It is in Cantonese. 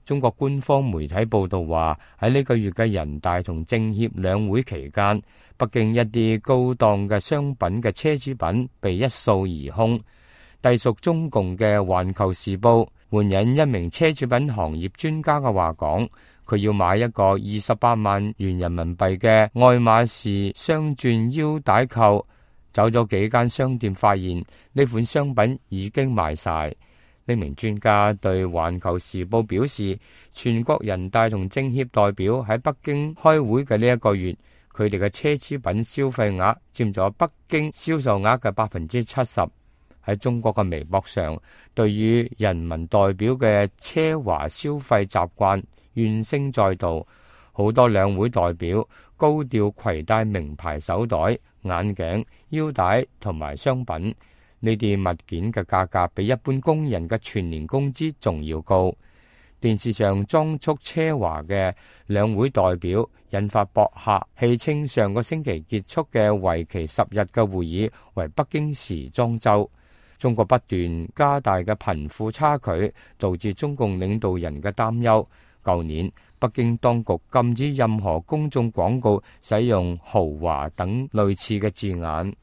中國官方媒體報道話，喺呢個月嘅人大同政協兩會期間，北京一啲高檔嘅商品嘅奢侈品被一掃而空。隸屬中共嘅《環球時報》援引一名奢侈品行業專家嘅話講，佢要買一個28萬元人民幣嘅愛馬仕雙鑽腰帶扣，走咗幾間商店，發現呢款商品已經賣晒。呢名專家對《環球時報》表示，全國人大同政協代表喺北京開會嘅呢一個月，佢哋嘅奢侈品消費額佔咗北京銷售額嘅70%。喺中國嘅微博上，對於人民代表嘅奢華消費習慣怨聲載道，好多兩會代表高調攜帶名牌手袋、眼鏡、腰帶同埋商品。呢啲物件嘅價格比一般工人嘅全年工資仲要高。電視上裝束奢華嘅兩會代表引發博客戲稱上個星期結束嘅為期10日嘅會議為北京時裝週。中國不斷加大嘅貧富差距，導致中共領導人嘅擔憂。舊年北京當局禁止任何公眾廣告使用豪華等類似嘅字眼。